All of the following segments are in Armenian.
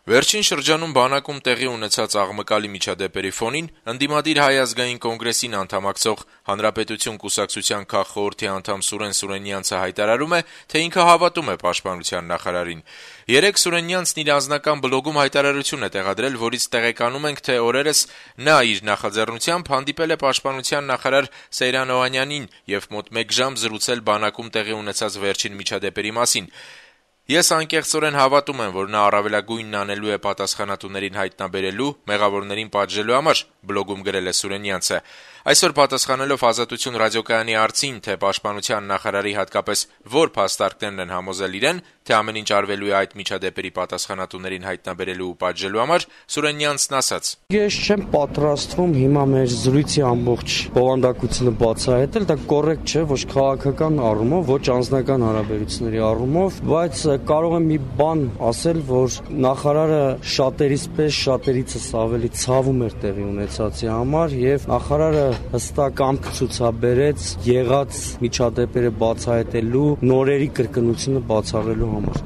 Վերջին շրջանում բանակում տեղի ունեցած աղմկալի միջադեպերի ֆոնին ընդդիմադիր Հայ ազգային կոնգրեսին անդամակցող Հանրապետություն կուսակցության քաղխորհրդի անդամ Սուրեն Սուրենյանցը հայտարարում է, թե ինքը հավատում է պաշտպանության նախարարին։ Երեկ Սուրենյանցն իր անձնական բլոգում հայտարարություն է տեղադրել, որից տեղեկանում ենք, թե օրերս նա իր նախաձեռնությամբ հանդիպել է պաշտպանության նախարար Սեյրան Օհանյանին եւ մոտ 1 ժամ զրուցել բանակում տեղի ունեցած վերջին միջադեպերի մասին։ Ես անկեղծորեն հավատում եմ, որ նա առավելագույնն անելու է պատասխանատուներին հայտնաբերելու, մեղավորներին պատժելու համար, բլոգում գրել է Սուրենյանցը։ Այսօր պատասխանելով Ազատություն ռադիոկայանի հարցին, թե պաշտպանության նախարարի հատկապես որ փաստարկներն են համոզել իրեն, թե ամեն ինչ արվելու է այդ միջադեպերի պատասխանատուներին հայտնաբերելու ու պատժելու համար, Սուրենյանցն ասաց. Ես չեմ պատրաստվում հիմա մեր զրույցի ամբողջ բովանդակությունը բացահայտել, դա կոռեկտ չէ ոչ քաղաքական առումով, ոչ անձնական հարաբերությունների առումով, բայց կարող եմ մի բան ասել, որ նախարարը շատերից պես շատերիցս ավելի ցավում էր տեղի ունեցածի համար եւ նախարարը հստակ կամք ցուցաբերեց եղած միջադեպերը բացահայտելու, նորերի կրկնությունը բացառելու համար։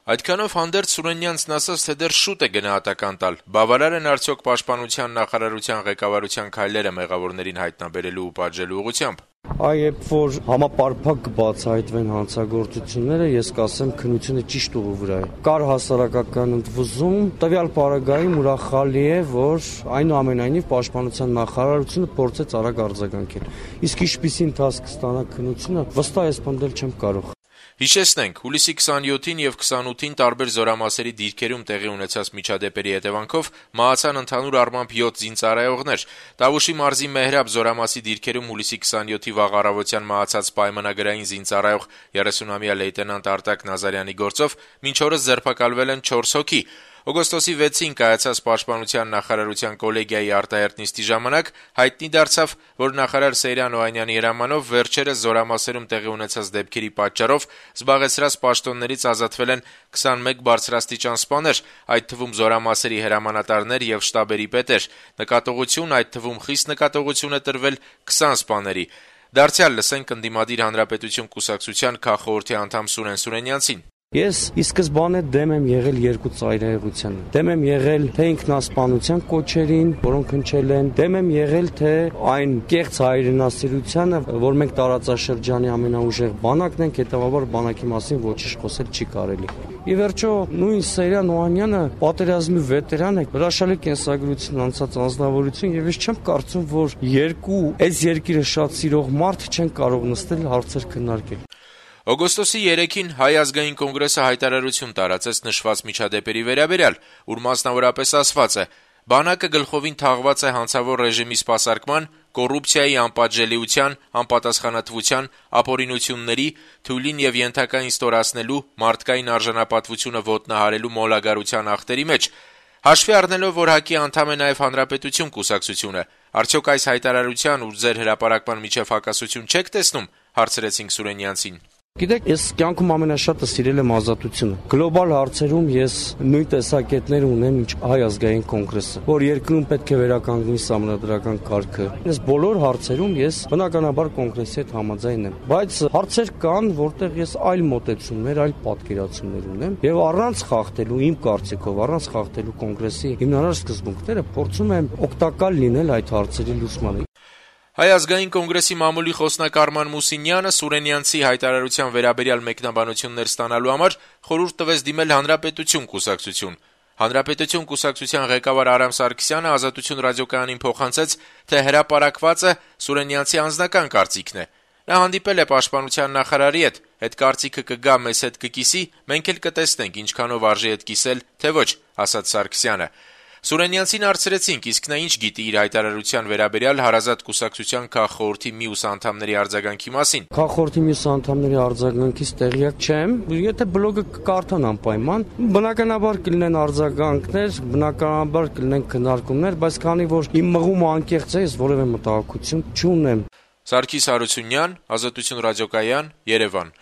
Այդքանով հանդերձ Սուրենյանցն ասաց, թե դեռ շուտ է գնահատական տալ, բավարար են արդյոք պաշտպանության նախարարության ղեկավարության քայլերը մեղավորներին հայտնաբերելու ու պատժելու ուղղությամբ։ Երբ որ համապարփակ կբացահայտվեն հանցագործությունները, ես կասեմ քննությունը ճիշտ ուղու վրա է։ Կար հասարակական ընդվզում, տվյալ պարագայում ուրախալի է, որ այնուամենայնիվ պաշտպանության նախարարությունը փորձեց արագ արձագանքել։ Իսկ ինչպիսի ընթացք կստանա քննությունը, վստահ ես պնդել չեմ կարող։ Հիշեցնենք, հուլիսի 27-ին եւ 28-ին տարբեր զորամասերի դիրքերում տեղի ունեցած միջադեպերի հետևանքով մահացան ընդհանուր առմամբ 7 զինծառայողներ։ Տավուշի մարզի Մեհրաբ զորամասի դիրքերում հուլիսի 27-ի վաղ առավոտյան մահացած պայմանագրային զինծառայող 30-ամյա լեյտենանտ Արտակ Նազարյանի գործով մինչ օրս ձերբակալվել են 4 հոգի։ Օգոստոսի 6-ին կայացած պաշտպանության նախարարության կոլեգիայի արտահերտ նիստի ժամանակ հայտնի դարձավ, որ նախարար Սեյրան Օհանյանի հրամանով վերջերս զորամասերում տեղի ունեցած դեպքերի պատճառով զբաղեցրած պաշտոններից ազատվել են 21 բարձրաստիճան սպաներ, այդ թվում զորամասերի հրամանատարներ եւ շտաբերի պետեր։ Նկատողություն, այդ թվում խիստ նկատողություն է տրվել 20 սպաների։ Դարձյալ լսենք ընդդիմադիր Հանրապետություն կուսակցության քաղխորհրդի անդամ Սուրեն Սուրենյանցին։ Ես ի սկզբանե դեմ եմ եղել երկու ծայրահեղությանը։ Դեմ եմ եղել թե ինքնասպանության կոչերին, որոնք հնչել են, դեմ եմ եղել թե այն կեղծ հայրենասիրությանը, որ մենք տարածաշրջանի ամենաուժեղ բանակն ենք, հետևաբար բանակի մասին ոչինչ խոսել չի կարելի։ Ի վերջո, նույն Սեյրան Օհանյանը պատերազմի վետերան է, հրաշալի կենսագրություն անցած անձնավորություն եւ ես չեմ կարծում, որ այս երկիրը շատ սիրող մարդ չեն կարող նստել հարցեր քննարկել։ Օգոստոսի 3-ին Հայ ազգային կոնգրեսը հայտարարություն տարածեց նշված միջադեպերի վերաբերյալ, ուր մասնավորապես ասված է. բանակը գլխովին թաղված է հանցավոր ռեժիմի սպասարկման, կոռուպցիայի անպատժելիության, անպատասխանատվության, ապօրինությունների, թույլին եւ ենթակային ստորացնելու, մարդկային արժանապատվությունը ոտնահարելու մոլագարության ախտերի մեջ։ Հաշվի առնելով, որ ՀԱԿ-ի անդամ է նաեւ Հանրապետություն կուսակցությունը, արդյոք այս հայտարարության ու ձեր հրապարակման միջև հակասություն չեք տեսնում, հարցրեցինք Սուրենյանցին։ Գիտեք, ես կյանքում ամենաշատը սիրել եմ ազատությունը։ Գլոբալ հարցերում ես նույն տեսակետներ ունեմ, ինչ Հայ ազգային կոնգրեսը, որ երկրում պետք է վերականգնի սահմանադրական կարգը։ Այս բոլոր հարցերում ես բնականաբար կոնգրեսի հետ համաձայն եմ, բայց հարցեր կան, որտեղ ես այլ մոտեցումներ, այլ պատկերացումներ ունեմ, եւ առանց խախտելու, իմ կարծիքով, առանց խախտելու կոնգրեսի հիմնարար սկզբունքները փորձում եմ օգտակար լինել այդ հարցերի լուծմանը։ Հայ ազգային կոնգրեսի մամուլի խոսնակ Արման Մուսինյանը Սուրենյանցի հայտարարության վերաբերյալ մեկնաբանություններ ստանալու համար խորհուրդ տվեց դիմել Հանրապետություն կուսակցություն։ Հանրապետություն կուսակցության ղեկավար Արամ Սարգսյանը Ազատություն ռադիոկայանին փոխանցեց, թե հրապարակվածը Սուրենյանցի անձնական կարծիքն է։ Նա հանդիպել է պաշտպանության նախարարի հետ կարծիքը կգա մեզ հետ կկիսի, մենք էլ կտեսնենք ինչքանով արժի հետ կիսել, թե ոչ, ասաց Սարգսյանը։ Սուրենյանցին հարցրեցինք, իսկ նա ինչ գիտի իր հայտարարության վերաբերյալ Հարազատ կուսակցության քաղխորհրդի մյուս անդամների արձագանքի մասին։ Քաղխորհրդի մյուս անդամների արձագանքից տեղյակ չեմ, եթե բլոգը կկարդան անպայման, բնականաբար կլինեն արձագանքներ, բնականաբար կլինեն քննարկումներ, բայց քանի որ իմ մղումը անկեղծ է, ես որևէ մտահոգություն չունեմ։ Սարգիս Հարությունյան, Ազատություն ռադիոկայան, Երևան։